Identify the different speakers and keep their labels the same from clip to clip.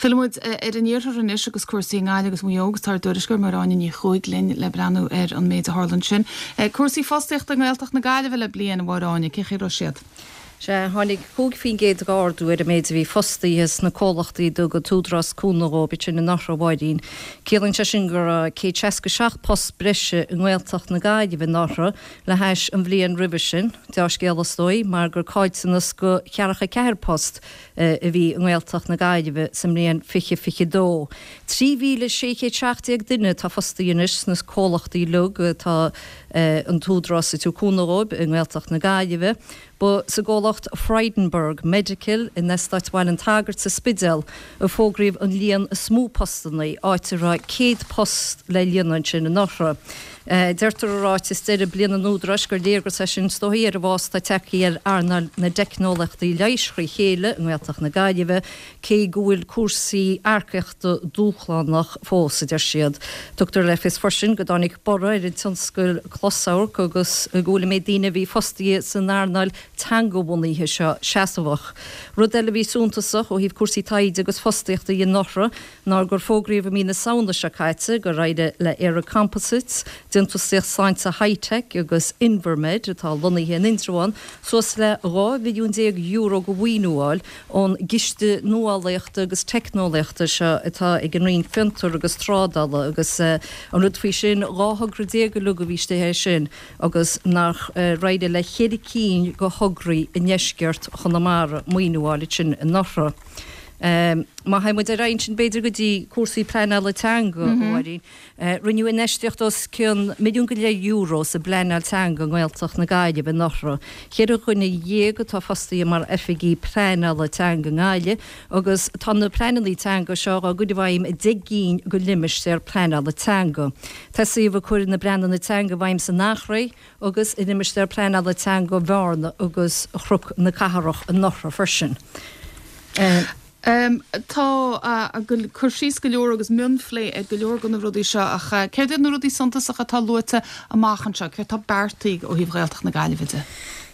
Speaker 1: Fillfidh muid ar an iarthar anois agus cúrsaí i nGaillimh agus Maigh Eo agus tá ár dtuairisceoir Máire Áine Ní Chuaig linn le breathnú ar an méid a tharla ansin. Cúrsaí fostaíochta i nGaeltacht na Gaillimhe le bliain, a Mháire Áine, cén chaoi a raibh siad?
Speaker 2: Sea, tháinig 5% d'ardú ar an méid a bhí fostaithe sna comhlachtaí a dtug an tÚdarás cúnamh dhóibh ansin anuraidh, a Mháirín. Ciallaíonn sé sin go raibh 167 post breise i nGaeltacht na Gaillimhe anuraidh le hais an bhliain roimhe sin. Deá-scéala is dóigh, mar gur caillteanas de cheathracha 4 post a bhí i nGaeltacht na Gaillimhe sa mbliain 2022. 3,617 duine atá fostaithe anois sna comhlachtaí uilig atá an tÚdarás ag tabhairt cúnamh dhóibh i nGaeltacht na Gaillimhe. Ba sa gcomhlacht Frydenberg Medical in Eastát Bhaile an tSagairt sa Spidéal a fógraíodh an líon is mó postanna, áit a raibh 100 post le líonadh ansin anuraidh. Deirtear i ráiteas deireadh bliana an Údaráis gur léargas é sin is dóigh ar an bhfás atá tagtha ar earnáil na dteicneolaíochtaí leighis thrí chéile i nGaeltacht na Gaillimhe, cé go bhfuil cúrsaí earcaíochta dúshlánach fós, a deir siad. Tugtar le fios freisin go dtáinig borradh ar an tionscal closamhairc agus go bhfuil an méid daoine a bhí fostaithe san earnáil teangabhunaithe seo seasmhach. Rud eile a bhí suntasach ó thaobh cúrsaí taighde agus fostaíochta dhe anuraidh ná gur fógraíodh i mí na Samhna seo caite gur éirigh le ÉireComposites, déantúsaíocht sláinte Hi-Tech agus Invermed atá lonnaithe in Indreabhán suas le €12 mhilliún de mhaoiniú a fháil ón gCiste Nuálaíochta agus Teicneolaíochta seo atá ag an Roinn Fiontar agus Trádála agus an rud faoi sin, 12 thogra uilig a bhí istigh air sin agus nach éirigh le cheithre cinn de thograí i ndeisceart Chonamara maoiniú a fháil ansin anuraidh. Má théann muid ar aghaidh ansin b'fhéidir go dtí cúrsaí pleanála teanga, a Mháirín. Rinneadh infheistíocht os cionn €1.5 milliún sa bpleanáil teanga i nGaeltacht na Gaillimhe anuraidh. Cheithre dhuine dhéag atá fostaithe mar oifigigh pleanála teanga i nGaillimh agus tá na pleananna teanga seo á gcur i bhfeidhm i 10 gcinn de limistéir pleanála teanga. Tosaíodh ag cur na bpleananna teanga i bhfeidhm san Eachréidh agus i limistéar pleanála teanga Bhearna agus Chnoc na Cathrach anuraidh freisin.
Speaker 1: Tá cur síos go leor agus mionphlé ar go leor de na rudaí seo ach céard iad na rudaí suntasacha atá luaite amach anseo? Céard atá beartaithe ó thaobh Ghaeltacht na Gaillimhe de?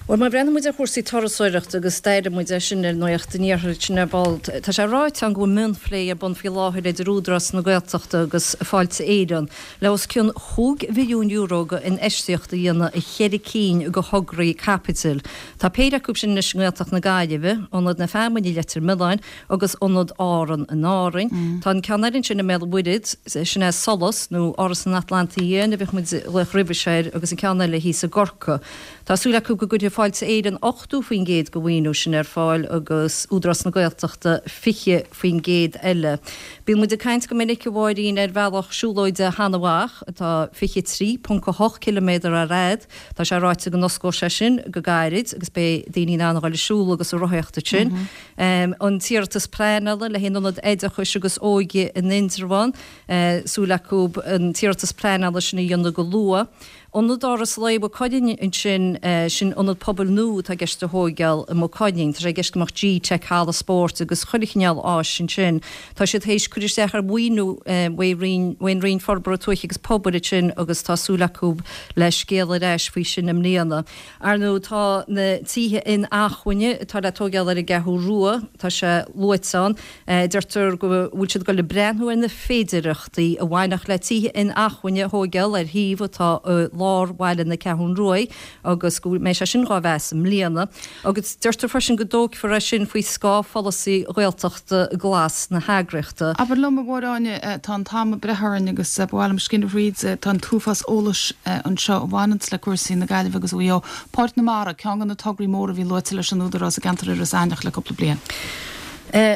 Speaker 2: Bhuel, má bhreathnaíonn muid ar chúrsaí turasóireachta agus d'airigh muid é sin ar Nuacht an Iarthair ansin ar ball, tá sé ráite ann go bhfuil mionphlé ar bun faoi láthair idir Údarás na Gaeltachta agus Fáilte Éireann le os cionn €5 mhilliún de infheistíocht a dhéanamh i cheithre cinn de thograí caipitil. Tá péire acu sin anois i nGaeltacht na Gaillimhe, Ionad na Feamainne i Leitir Mealláin agus Ionad Árann in Árainn. Tá an ceann eile ansin i mBéal an Mhuirthead, sin é Solas, nó Áras an Atlantaigh Fhiáin a bhíodh muid ag glaoch roimhe seo air, agus an ceann eile thíos i gCorcaigh. Tá súil acu go gcuirfidh Fáilte Éireann 80% de mhaoiniú sin ar fáil agus Údarás na Gaeltachta 20% eile. Bíonn muid ag caint go minic, a Mháirín, ar bhealach siúlóide Sheanadh Mhach, atá 23.8 ciliméadar ar fhad, Tá sé ráite go n-osclóidh sé sin go gairid agus beidh daoine in ann a dhul ag siúl agus ag rothaíocht ansin. An t-iarratas pleanála le haghaidh an Ionad Oideachais agus Óige in Indreabhán, súil acu an t-iarratas pleanála sin a dhéanamh go luath. Ionad Áras Lae Mhaigh Cuilinn ansin, sin ionad pobail nua atá i gceist a thóigeáil i Maigh Cuilinn. Tá sé i gceist go mbeadh G-Tech, halla spóirt agus chuile chineál áis ansin. Tá siad théis cur isteach ar mhaoiniú ón Roinn Forbartha Tuaithe agus Pobail ansin agus tá súil acu le scéal ar ais faoi sin i mbliana. Ar ndóigh tá na tithe inacmhainne atá le tóigeáil ar an gCeathrú Rua, tá sé luaite ann, deirtear go bhfuil siad ag dul ag breathnú ar na féidearthachtaí a bhainfeadh le tithe inacmhainne a thóigeáil ar shuíomh atá i lár bhaile na Ceathrún Ruaidh agus go mbeidh sé sin dhá mheas i mbliana. Agus deirtear freisin go dtógfar é sin faoi scáth pholasaí Ghaeltachta Glas na heagraíochta.
Speaker 1: Abair liom, a Mháire Áine, tá an t-am ag breith orainn agus ba mhaith liom scinneadh thríd, tá an t-uafás eolais anseo a bhaineanns le cúrsaí na Gaillimhe agus Mhaigh Eo. Páirc na Mara, ceann de na tograí móra a bhí luaite leis an Údarás i gceantar Iorras Aithneach le cúpla bliain.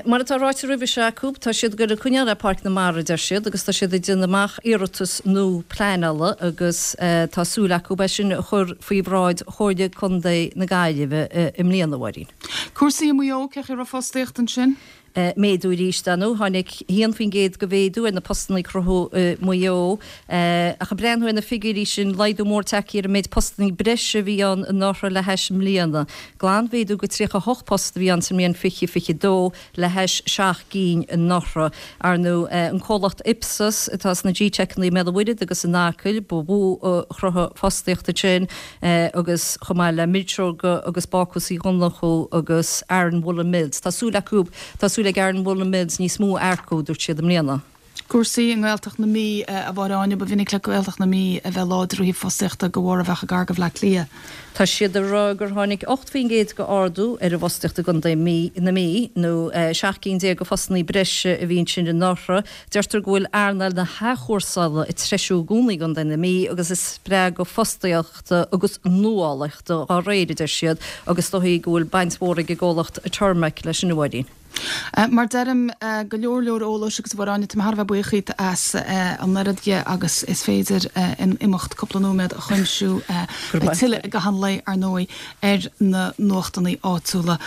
Speaker 2: Mar atá ráite roimhe seo acu, tá siad ag goil ag coinneáil le Páirc na Mara, a deir siad, agus tá siad ag déanamh amach iarratas nua pleanála agus tá súil acu é sin a chur faoi bhráid Chomhairle Contae na Gaillimhe i mbliana, a Mháirín.
Speaker 1: Cúrsaí i Maigh Eo, cén chaoi a raibh fostaíocht ansin?
Speaker 2: Méadú arís, dar ndóigh. Tháinig 1% de mhéadú ar na postanna a cruthaíodh i Maigh Eo. Ach ag breathnú ar na figiúirí sin, laghdú mór tagtha ar an méid postanna breise a bhí ann anuraidh le hais i mbliana. Glanmhéadú de 38 post a bhí ann sa mbliain 2022 le hais 7 gcinn anuraidh. Ar ndóigh, an comhlacht Ipsos atá sna G-Techanna i mBéal an Mhuirthead agus in Acaill ba mhó a chruthaigh fostaíocht ansin. agus chomh maith le Milseoga agus Bácús Uí Dhonnchú agus Aran Woollen Mills. Tá súil acu, tá súil. súil ag Aran Woollen Mills níos mó a earcú, dúirt siad i mbliana.
Speaker 1: Cúrsaí i nGaeltacht na Mí, a Mháire Áine, ba mhinic le Gaeltacht na Mí a bheith láidir ó thaobh fostaíochta de bharr a bheith gar do Bhleá Cliath.
Speaker 2: Tá siad ag rá gur tháinig 8% de ardú ar an bhfostaíocht i gContae na Mí, nó 17 cinn de phostannaí breise a bhí ansin anuraidh. Deirtear go bhfuil earnáil na hathchúrsála ag treisiú i gcónaí i gContae na Mí agus ag spreagadh fostaíochta agus nuálaíochta dá réir, a deir siad, agus is dóichí go bhfuil baint mhór ag an gcomhlacht Turmac leis sin, a Mháirín.
Speaker 1: Mar deirim, go leor leor eolais agus a Mháire Áine, tá mé thar a bheith buíoch dhíot as an oiread dhe agus is féidir in imeacht cúpla nóiméad a chuimsiú. Beidh tuilleadh i gcaitheamh an lae, ar ndóigh, ar na nuachtannaí áitiúla.